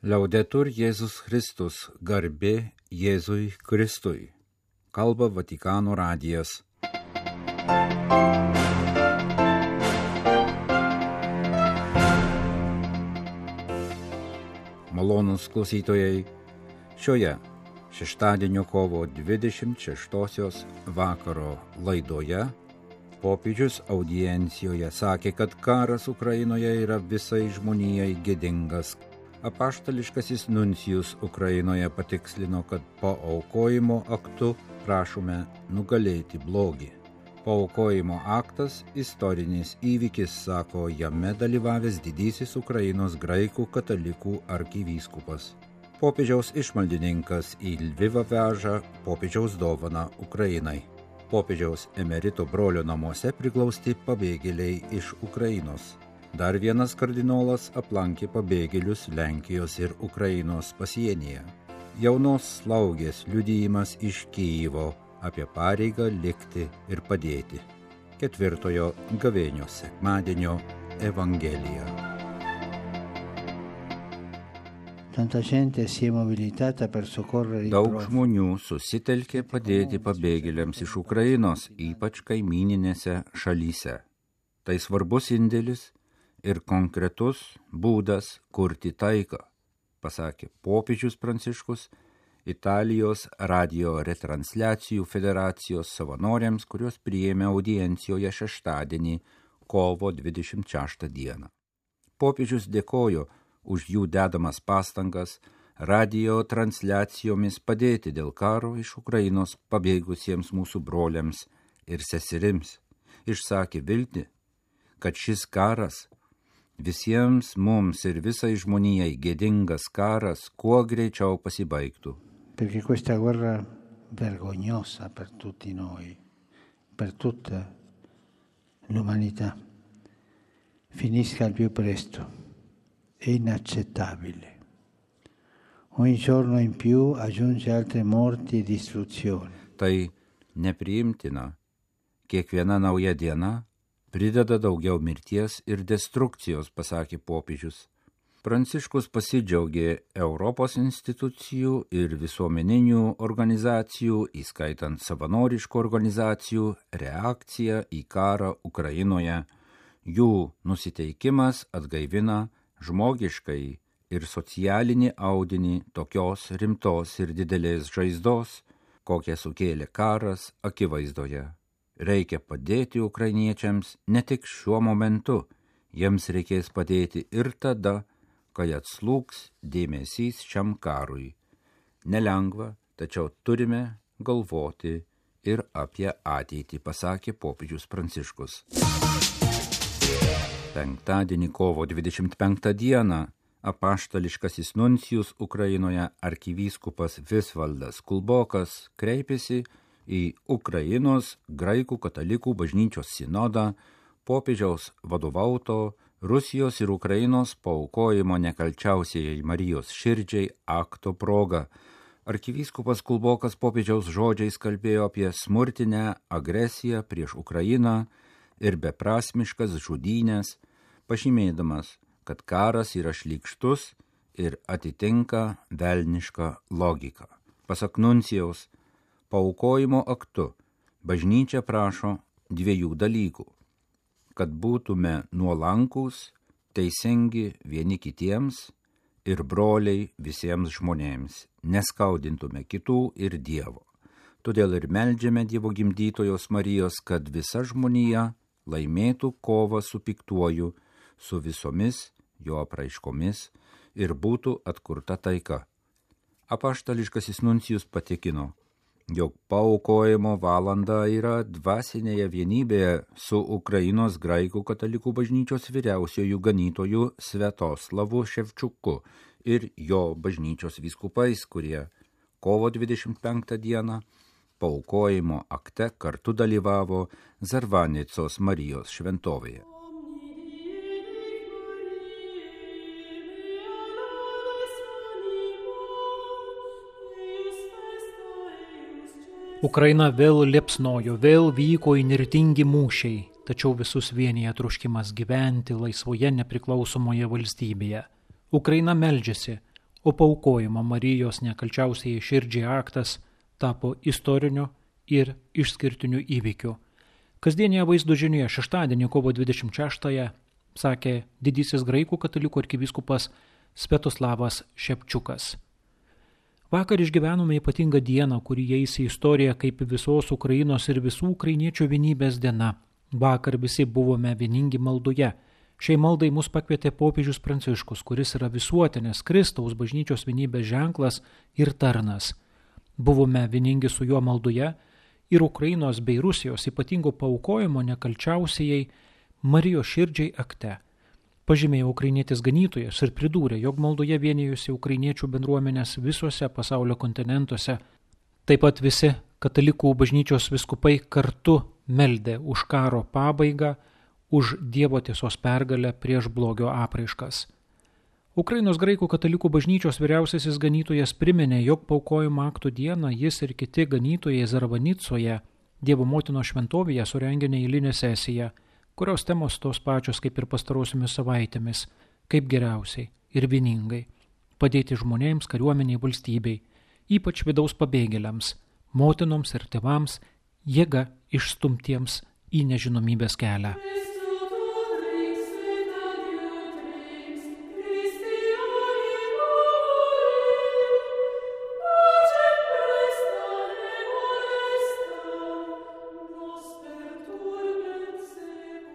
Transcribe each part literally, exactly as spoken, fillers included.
Liaudetur Jėzus Kristus, garbė Jėzui Kristui. Kalba Vatikano radijas. Malonūs klausytojai, šioje šeštadienio kovo dvidešimt šeštosios vakaro laidoje popiežius audiencijoje sakė, kad karas Ukrainoje yra visai žmonijai gėdingas. Apaštališkasis nuncijus Ukrainoje patikslino, kad paaukojimo aktu prašome nugalėti blogį. Paaukojimo aktas istorinis įvykis, sako jame dalyvavęs didysis Ukrainos graikų katalikų arkivyskupas. Popiežiaus išmaldininkas į Lvivą veža popiežiaus dovaną Ukrainai. Popiežiaus emerito brolio namuose priglausti pabėgėliai iš Ukrainos. Dar vienas kardinolas aplankė pabėgėlius Lenkijos ir Ukrainos pasienyje. Jaunos slaugės liudijimas iš Kijevo apie pareigą likti ir padėti. Ketvirtojo gavėnios sekmadienio Evangelija. Daug žmonių susitelkė padėti pabėgėliams iš Ukrainos, ypač kaimyninėse šalyse. Tai svarbus indėlis ir konkretus būdas kurti taiką, pasakė popiežius Pranciškus Italijos radio retransliacijų federacijos savanoriams, kurios priėmė audiencijoje šeštadienį, kovo dvidešimt šeštą dieną. Popiežius dėkojo už jų dedamas pastangas radio transliacijomis padėti dėl karo iš Ukrainos pabėgusiems mūsų broliams ir seserims. Išsakė viltį, kad šis karas, visiems mums ir visai žmonijai gėdingas karas, kuo greičiau pasibaigtų. Perché questa guerra vergognosa per tutti noi, per tutta l'umanità, finisca al più presto. È inaccettabile. Ogni giorno in più aggiunge altre morti e distruzioni. Tai nepriimtina. Kiekviena nauja diena prideda daugiau mirties ir destrukcijos, pasakė popiežius. Pranciškus pasidžiaugė Europos institucijų ir visuomeninių organizacijų, įskaitant savanoriškų organizacijų, reakciją į karą Ukrainoje. Jų nusiteikimas atgaivina žmogiškai ir socialinį audinį tokios rimtos ir didelės žaizdos, kokią sukėlė karas akivaizdoje. Reikia padėti ukrainiečiams ne tik šiuo momentu, jiems reikės padėti ir tada, kai atslūgs dėmesys šiam karui. Nelengva, tačiau turime galvoti ir apie ateitį, pasakė popiežius Pranciškus. Penktadienį kovo dvidešimt penktą dieną apaštališkasis nuncijus Ukrainoje arkivyskupas Visvaldas Kulbokas kreipėsi į Ukrainos graikų katalikų bažnyčios sinodą popiežiaus vadovauto Rusijos ir Ukrainos paaukojimo nekalčiausiai Marijos širdžiai akto proga. Arkivyskupas Kulbokas popiežiaus žodžiais kalbėjo apie smurtinę agresiją prieš Ukrainą ir beprasmiškas žudynės, pažymėdamas, kad karas yra šlykštus ir atitinka velnišką logiką. Pasak nuncijaus, paaukojimo aktu bažnyčia prašo dviejų dalykų: kad būtume nuolankūs, teisingi vieni kitiems ir broliai visiems žmonėms, neskaudintume kitų ir Dievo. Todėl ir meldžiame Dievo gimdytojos Marijos, kad visa žmonija laimėtų kovą su piktuoju, su visomis jo apraiškomis ir būtų atkurta taika. Apaštališkasis nuncijus patikino, jog paaukojimo valanda yra dvasinėje vienybėje su Ukrainos graikų katalikų bažnyčios vyriausiojų ganytojų Sviatoslavu Ševčiuku ir jo bažnyčios vyskupais, kurie kovo dvidešimt penktą dieną paaukojimo akte kartu dalyvavo Zarvanicos Marijos šventovėje. Ukraina vėl liepsnojo, vėl vyko įnirtingi mūšiai, tačiau visus vienija troškimas gyventi laisvoje nepriklausomoje valstybėje. Ukraina meldžiasi, o paaukojimo Marijos nekalčiausiai širdžiai aktas tapo istoriniu ir išskirtiniu įvykiu. Kasdienėje vaizdo žinioje šeštadienį kovo dvidešimt šeštąją sakė didysis graikų katalikų arkivyskupas Sviatoslavas Šepčiukas. Vakar išgyvenome ypatingą dieną, kuri įeis į istoriją kaip visos Ukrainos ir visų ukrainiečių vienybės diena. Vakar visi buvome vieningi maldoje. Šiai maldai mus pakvietė popiežius Pranciškus, kuris yra visuotinės Kristaus bažnyčios vienybės ženklas ir tarnas. Buvome vieningi su juo maldoje ir Ukrainos bei Rusijos ypatingo paaukojimo nekalčiausiai Marijos širdžiai akte. Pažymėjo ukrainietis ganytojas ir pridūrė, jog maldoje vienijusi ukrainiečių bendruomenės visuose pasaulio kontinentuose. Taip pat visi katalikų bažnyčios vyskupai kartu meldė už karo pabaigą, už Dievo tiesos pergalę prieš blogio apraiškas. Ukrainos graikų katalikų bažnyčios vyriausiasis ganytojas priminė, jog paaukojimo aktų dieną jis ir kiti ganytojai Zarvanicoje, Dievo motinos šventovėje surengė neeilinę sesiją, kurios temos tos pačios kaip ir pastarosiomis savaitėmis, kaip geriausiai ir vieningai padėti žmonėms, kariuomeniai, valstybei, ypač vidaus pabėgėliams, motinoms ir tėvams, jėga išstumtiems į nežinomybės kelią.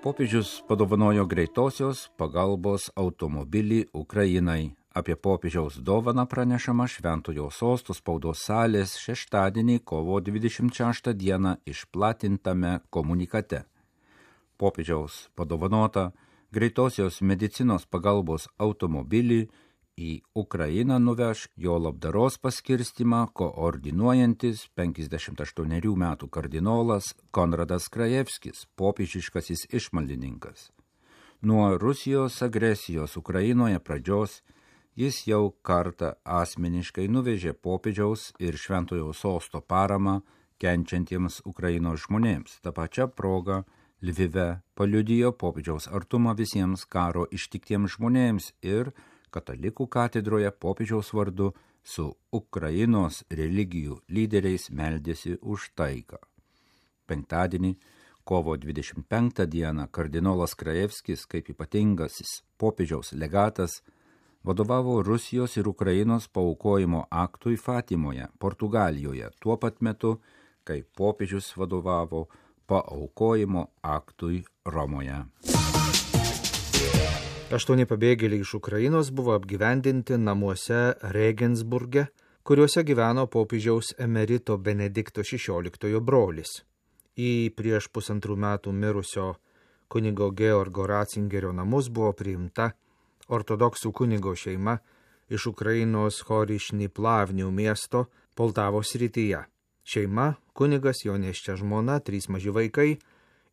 Popiežius padovanojo greitosios pagalbos automobilį Ukrainai. Apie popiežiaus dovaną pranešama Šventojo Sosto spaudos salės šeštadienį kovo dvidešimt šeštą dieną išplatintame komunikate. Popiežiaus padovanota greitosios medicinos pagalbos automobilį į Ukrainą nuveš jo labdaros paskirstymą koordinuojantis penkiasdešimt aštuonerių metų kardinolas Konradas Krajevskis, popiežiškasis išmaldininkas. Nuo Rusijos agresijos Ukrainoje pradžios jis jau kartą asmeniškai nuvežė popiežiaus ir Šventojo Sosto paramą kenčiantiems Ukrainos žmonėms. Ta pačia proga Lvive paliudijo popiežiaus artumą visiems karo ištiktiems žmonėms ir Katalikų katedroje popiežiaus vardu su Ukrainos religijų lyderiais meldėsi už taiką. Penktadienį, kovo dvidešimt penktą dieną, kardinolas Krajevskis, kaip ypatingasis popiežiaus legatas, vadovavo Rusijos ir Ukrainos paaukojimo aktui Fatimoje, Portugalijoje, tuo pat metu, kai popiežius vadovavo paaukojimo aktui Romoje. Aštuoni pabėgėliai iš Ukrainos buvo apgyvendinti namuose Regensburge, kuriuose gyveno popiežiaus emerito Benedikto šešioliktojo brolis. Į prieš pusantrų metų mirusio kunigo Georgo Ratzingerio namus buvo priimta ortodoksų kunigo šeima iš Ukrainos Horišny Plavnių miesto Poltavos srityje. Šeima, kunigas, jo nėščia žmona, trys maži vaikai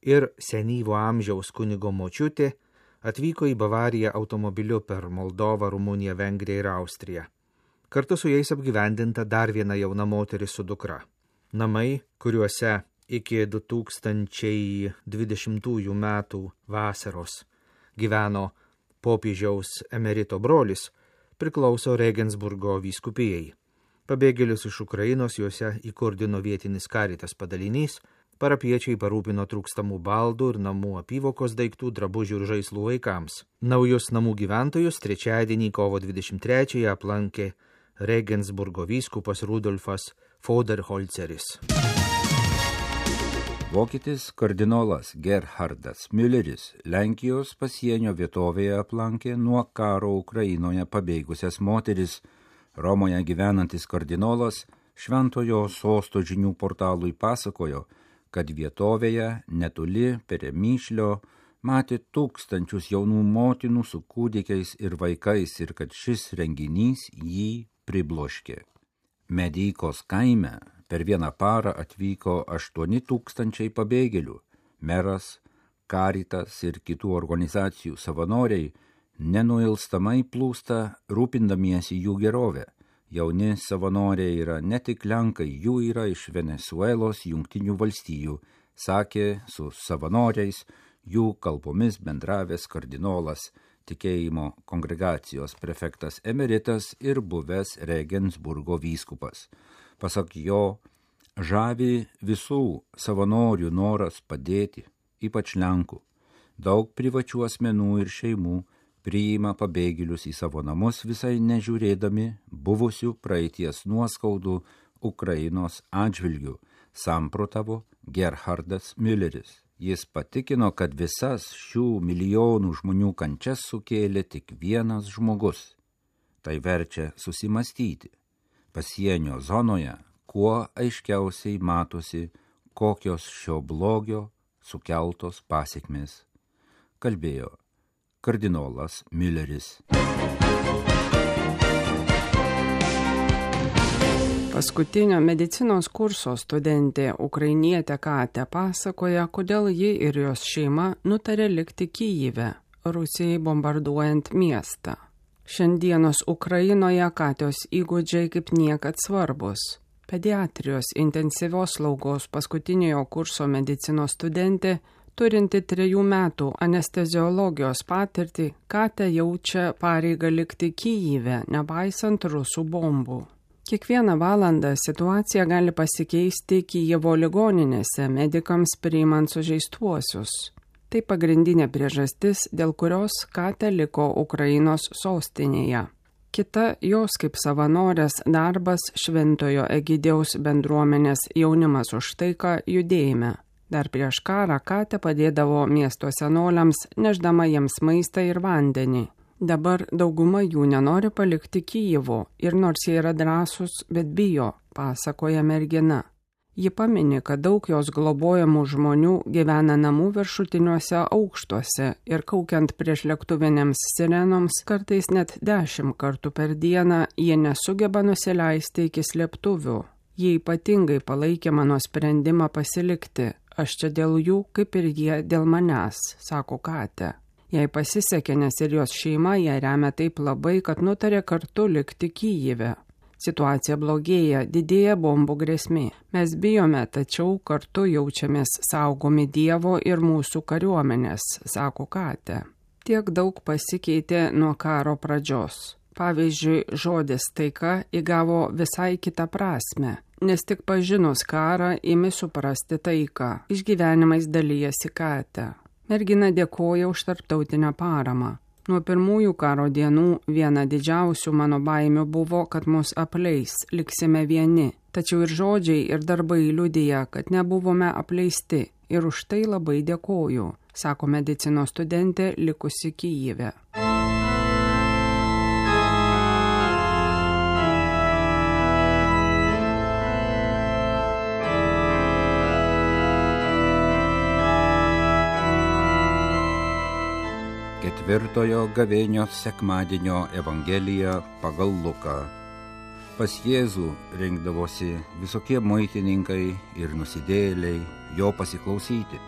ir senyvo amžiaus kunigo močiutė atvyko į Bavariją automobiliu per Moldovą, Rumuniją, Vengriją ir Austriją. Kartu su jais apgyvendinta dar viena jauna moteris su dukra. Namai, kuriuose iki du tūkstančiai dvidešimtųjų metų vasaros gyveno popiežiaus emerito brolis, priklauso Regensburgo vyskupijai. Pabėgėlius iš Ukrainos juose įkurdino vietinis Caritas padalinys, parapiečiai parūpino trūkstamų baldų ir namų apyvokos daiktų, drabužių ir žaislų vaikams. Naujus namų gyventojus trečiadienį kovo dvidešimt trečiąją aplankė Regensburgo vyskupas Rudolfas Foderholceris. Vokietis kardinolas Gerhardas Mülleris Lenkijos pasienio vietovėje aplankė nuo karo Ukrainoje pabėgusias moteris. Romoje gyvenantis kardinolas Šventojo Sosto žinių portalui pasakojo, kad vietovėje netoli Peremyšlio matė tūkstančius jaunų motinų su kūdikiais ir vaikais ir kad šis renginys jį pribloškė. Medykos kaime per vieną parą atvyko aštuoni tūkstančiai pabėgėlių. Meras, Caritas ir kitų organizacijų savanoriai nenuilstamai plūsta rūpindamiesi jų gerovę. Jauni savanoriai yra ne tik Lenkai, jų yra iš Venesuelos, Jungtinių valstijų, sakė su savanoriais jų kalbomis bendravęs kardinolas tikėjimo kongregacijos prefektas emeritas ir buvęs Regensburgo vyskupas. Pasak jo, žavi visų savanorių noras padėti, ypač Lenkų. Daug privačių asmenų ir šeimų priima pabėgėlius į savo namus, visai nežiūrėdami buvusių praeities nuoskaudų Ukrainos atžvilgių, samprotavo Gerhardas Mülleris. Jis patikino, kad visas šių milijonų žmonių kančias sukėlė tik vienas žmogus. Tai verčia susimastyti. Pasienio zonoje kuo aiškiausiai matosi, kokios šio blogio sukeltos pasekmės, kalbėjo kardinolas Mülleris. Paskutinio medicinos kurso studentė ukrainietė Katė pasakoja, kodėl ji ir jos šeima nutarė likti Kyjive, Rusijai bombarduojant miestą. Šiandienos Ukrainoje Katės įgūdžiai kaip niekad svarbus. Pediatrijos intensyvios slaugos paskutiniojo kurso medicinos studentė, turinti trejų metų anesteziologijos patirtį, Katė jaučia pareigą likti Kyjive, nepaisant rusų bombų. Kiekvieną valandą situacija gali pasikeisti Kyjivo ligoninėse medikams priimant sužeistuosius. Tai pagrindinė priežastis, dėl kurios Katė liko Ukrainos sostinėje. Kita jos kaip savanorės darbas Šventojo Egidijaus bendruomenės jaunimas už taiką judėjime. Dar prieš karą Katė padėdavo miesto senoliams, neždama jiems maistą ir vandenį. Dabar dauguma jų nenori palikti Kyjivo ir nors jie yra drąsūs, bet bijo, pasakoja mergina. Ji pamini, kad daug jos globojamų žmonių gyvena namų viršutiniuose aukštuose ir kaukiant prieš lėktuvinėms sirenoms kartais net dešimt kartų per dieną jie nesugeba nusileisti iki slėptuvių. Jie ypatingai palaikė mano sprendimą pasilikti. Aš čia dėl jų, kaip ir jie dėl manęs, sako Katė. Jai pasisekė, nes ir jos šeima ją remia taip labai, kad nutarė kartu likti Kyjive. Situacija blogėja, didėja bombų grėsmė. Mes bijome, tačiau kartu jaučiamės saugomi Dievo ir mūsų kariuomenės, sako Katė. Tiek daug pasikeitė nuo karo pradžios. Pavyzdžiui, žodis taika įgavo visai kitą prasme, nes tik pažinus karą imi suprasti taiką. Išgyvenimais dalyjasi Katė. Mergina dėkoja už tarptautinę paramą. Nuo pirmųjų karo dienų viena didžiausių mano baimių buvo, kad mus apleis, liksime vieni. Tačiau ir žodžiai, ir darbai liudija, kad nebuvome apleisti. Ir už tai labai dėkoju, sako medicinos studentė likusi Kyjive. Ketvirtojo gavėnios sekmadienio Evangelija pagal Luką. Pas Jėzų rinkdavosi visokie muitininkai ir nusidėjėliai jo pasiklausyti,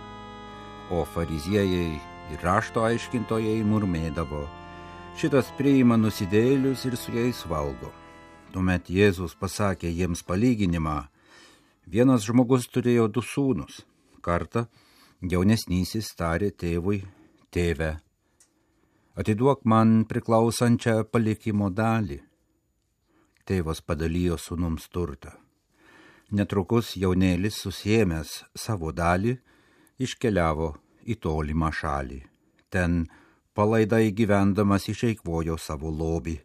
o fariziejai ir rašto aiškintojai murmėdavo, šitas priima nusidėjėlius ir su jais valgo. Tuomet Jėzus pasakė jiems palyginimą, vienas žmogus turėjo du sūnus. Kartą jaunesnysis tarė tėvui, tėve, atiduok man priklausančią palikimo dalį. Tėvas padalijo sūnums turtą. Netrukus jaunėlis susiėmęs savo dalį iškeliavo į tolimą šalį. Ten palaidai gyvendamas išeikvojo savo lobį.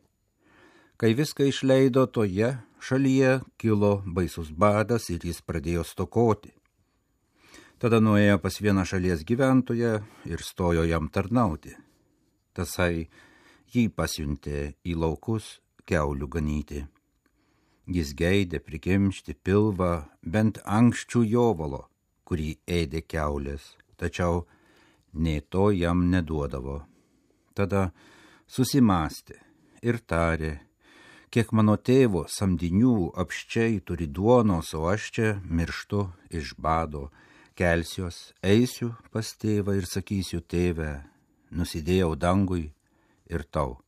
Kai viską išleido toje šalyje, kilo baisus badas ir jis pradėjo stokoti. Tada nuėjo pas vieną šalies gyventoją ir stojo jam tarnauti. Tasai jį pasiuntė į laukus kiaulių ganyti. Jis geidė prikimšti pilvą bent ankščių jovalo, kurį ėdė kiaulės, tačiau nė to jam neduodavo. Tada susimastė ir tarė, kiek mano tėvo samdinių apščiai turi duonos, o aš čia mirštu iš bado, kelsiuos, eisiu pas tėvą ir sakysiu, tėve, nusidėjau dangui ir tau,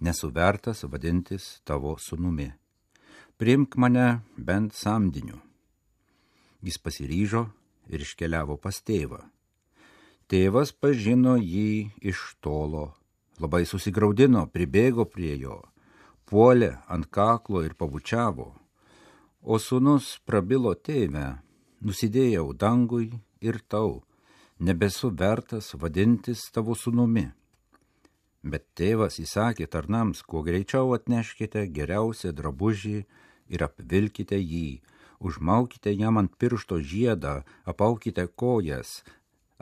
nesu vertas vadintis tavo sūnumi. Priimk mane bent samdiniu. Jis pasiryžo ir iškeliavo pas tėvą. Tėvas pažino jį iš tolo, labai susigraudino, pribėgo prie jo, puolė ant kaklo ir pabučiavo. O sūnus prabilo: tėve, nusidėjau dangui ir tau, nebesu vertas vadintis tavo sūnumi. Bet tėvas įsakė tarnams: kuo greičiau atneškite geriausią drabužį ir apvilkite jį, užmaukite jam ant piršto žiedą, apaukite kojas,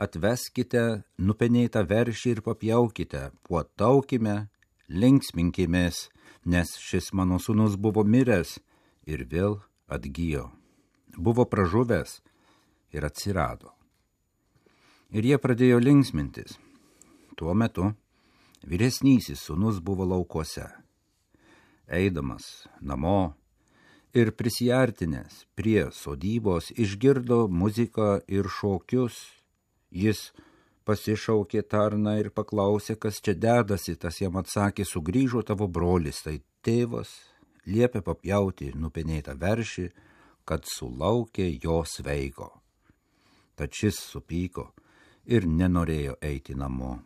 atveskite nupenėtą veršį ir papjaukite, puotaukime, linksminkimės, nes šis mano sūnus buvo miręs ir vėl atgijo, buvo pražuvęs ir atsirado. Ir jie pradėjo linksmintis. Tuo metu vyresnysis sūnus buvo laukuose. Eidamas namo ir prisiartinęs prie sodybos išgirdo muziką ir šokius, jis pasišaukė tarną ir paklausė, kas čia dedasi. Tas jam atsakė: sugrįžo tavo brolis, tai tėvas liepė papjauti nupenėtą veršį, kad sulaukė jo sveiko. Tad šis supyko ir nenorėjo eiti namo.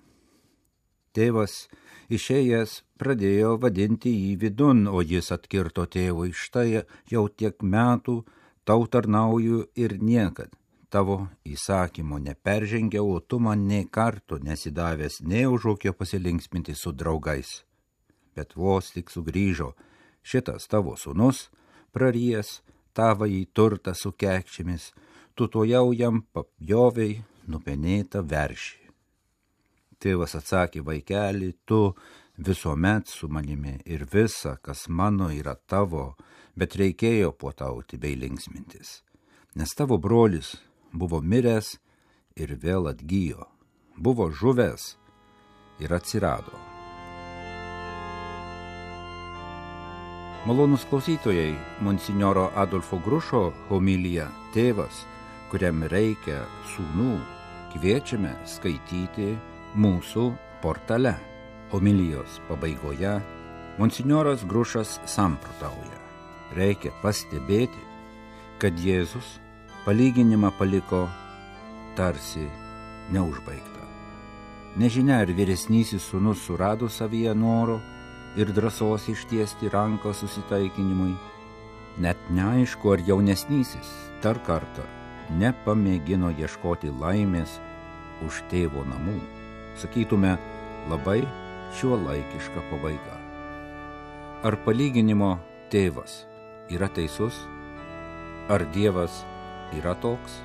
Tėvas išėjęs pradėjo vadinti jį vidun, o jis atkirto tėvui: štai jau tiek metų tau tarnauju ir niekad tavo įsakymo neperžengiau, o tu man nei karto nesidavęs nei užūkio pasilinksminti su draugais. Bet vos tik sugrįžo šitas tavo sūnus, prarijęs tavąjį turtą su kekšėmis, tu tuojau jam papjovei nupenėtą veršį. Tėvas atsakė: vaikeli, tu visuomet su manimi ir visa, kas mano, yra tavo, bet reikėjo puotauti bei linksmintis, nes tavo brolis buvo miręs ir vėl atgijo, buvo žuvęs ir atsirado. Malonūs klausytojai, monsinjoro Adolfo Grušo homilija Tėvas, kuriam reikia sūnų, kviečiame skaityti mūsų portale. Homilijos pabaigoje monsinjoras Grušas samprotauja: reikia pastebėti, kad Jėzus palyginimą paliko tarsi neužbaigtą. Nežinia, ar vyresnysis sūnus surado savyje noro ir drąsos ištiesti ranką susitaikinimui. Net neaišku, ar jaunesnysis dar kartą nepamėgino ieškoti laimės už tėvo namų. Sakytume, labai šiuolaikiška pabaiga. Ar palyginimo tėvas yra teisus? Ar Dievas yra toks?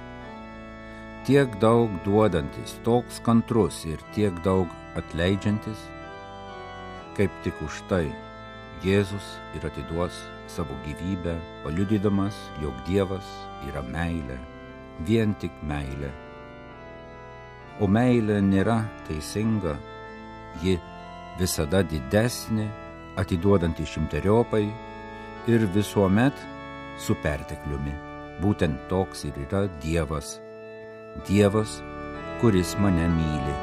Tiek daug duodantis, toks kantrus ir tiek daug atleidžiantis? Kaip tik už tai Jėzus ir atiduos savo gyvybę, paliudydamas, jog Dievas yra meilė, vien tik meilė. O meilė nėra teisinga, ji visada didesnė, atiduodanti šimteriopai ir visuomet su pertekliumi. Būtent toks ir yra Dievas, Dievas, kuris mane myli.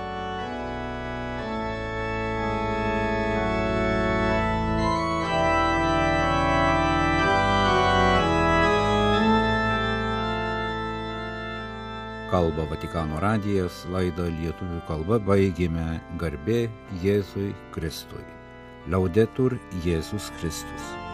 Kalba Vatikano radijas, laidą lietuvių kalba baigėme. Garbė Jėzui Kristui. Laudetur Jėzus Kristus.